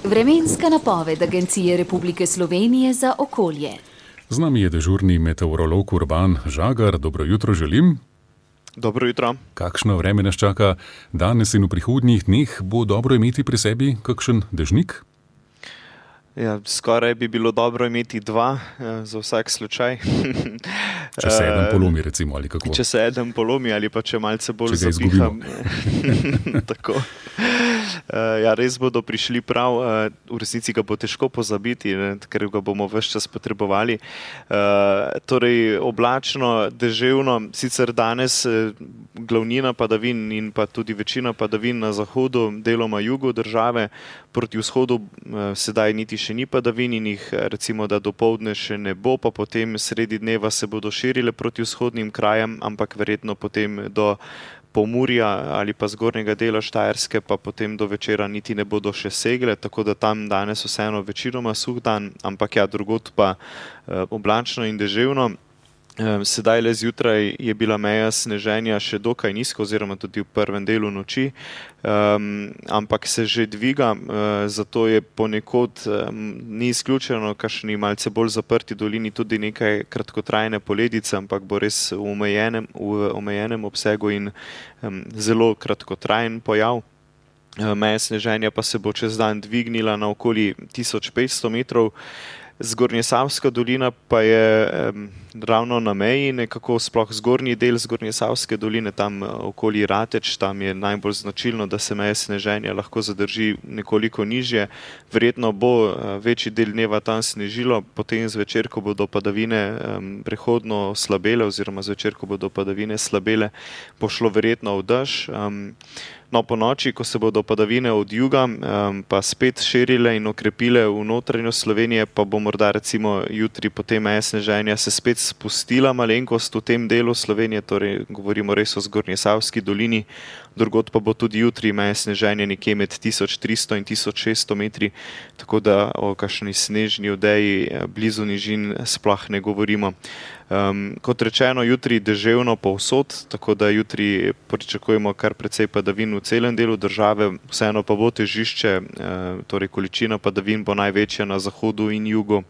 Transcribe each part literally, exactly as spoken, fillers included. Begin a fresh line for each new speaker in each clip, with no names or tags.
Vremenska napoved Agencije Republike Slovenije za okolje.
Z nami je dežurni meteorolog Urban Žagar. Dobro jutro želim.
Dobro jutro.
Kakšno vreme nas čaka danes in v prihodnjih dneh? Bo dobro imeti pri sebi kakšen dežnik?
Ja, skoraj bi bilo dobro imeti dva, za vsak slučaj.
Če se eden polomi, recimo, ali kako?
Če se eden polomi, ali pa če malce bolj
če
zapiham. Tako. Ja, res bodo prišli prav. V resnici ga bo težko pozabiti, ne, ker ga bomo ves čas potrebovali. Torej, oblačno, deževno, sicer danes glavnina padavin in pa tudi večina padavin na zahodu, deloma jugu države, proti vzhodu sedaj niti še ni padavin in jih recimo, da dopoldne še ne bo, pa potem sredi dneva se bodo širile proti vzhodnim krajem, ampak verjetno potem do Pomurja ali pa zgornjega dela Štajerske, pa potem do večera niti ne bodo še segle, tako da tam danes vseeno večinoma suh dan, ampak ja, drugod pa oblačno in deževno. Sedaj le zjutraj je bila meja sneženja še dokaj nizko oziroma tudi v prvem delu noči, um, ampak se že dviga, uh, zato je ponekod um, ni izključeno, kakšni malce bolj zaprti dolini tudi nekaj kratkotrajne poledice, ampak bo res v omejenem, v omejenem obsegu in um, zelo kratkotrajen pojav. Meja sneženja pa se bo čez dan dvignila na okoli tisoč petsto metrov. Zgornjesavska dolina pa je um, ravno na meji, nekako sploh zgornji del Zgornjesavske doline, tam okoli Rateč, tam je najbolj značilno, da se meja sneženja lahko zadrži nekoliko nižje. Verjetno bo uh, večji del dneva tam snežilo, potem zvečer, ko bodo padavine um, prehodno slabele oziroma zvečer, ko bodo padavine slabele, bo šlo verjetno v dež. Um, No, po noči, ko se bodo padavine od juga um, pa spet širile in okrepile v notranjost Slovenije, pa bo morda recimo jutri potem meja sneženja se spet spustila malenkost v tem delu Slovenije, torej govorimo res o Zgornjesavski dolini, drugod pa bo tudi jutri meja sneženja nekje med tisoč tristo in tisoč šeststo metri, tako da o kakšni snežni odeji blizu nižin sploh ne govorimo. Um, kot rečeno, jutri deževno povsod, tako da jutri pričakujemo kar precej padavin v celem delu države, vseeno pa bo težišče, eh, torej količina padavin bo največja na zahodu in jugu.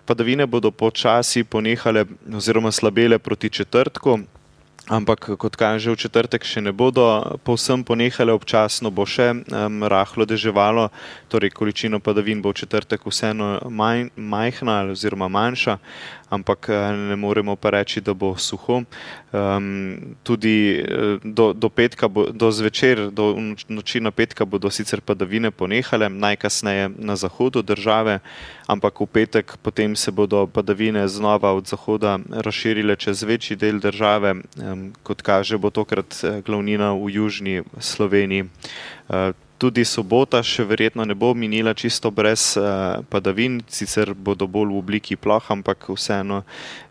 Padavine bodo počasi ponehale oziroma slabele proti četrtku, ampak kot kaže v četrtek še ne bodo povsem ponehale, občasno bo še um, rahlo deževalo, torej količina padavin bo v četrtek vseeno manj, majhna oziroma manjša, ampak ne moremo pa reči, da bo suho. Um, tudi do, do petka, bo, do zvečer, do noči na petka bodo sicer padavine ponehale, najkasneje na zahodu države, ampak v petek potem se bodo padavine znova od zahoda razširile čez večji del države, um, kot kaže bo tokrat glavnina v južni Sloveniji. Uh, Tudi sobota še verjetno ne bo minila čisto brez uh, padavin, sicer bodo bolj v obliki ploh, ampak vseeno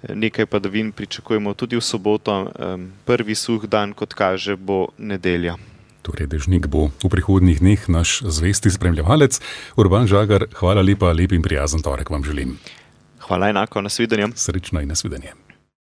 nekaj padavin pričakujemo tudi v soboto. Um, prvi suh dan, kot kaže, bo nedelja.
Torej, dežnik bo v prihodnjih dneh naš zvesti spremljevalec. Urban Žagar, hvala lepa, lep in prijazen torek vam želim.
Hvala enako, nasvidenje.
Srečno in nasvidenje.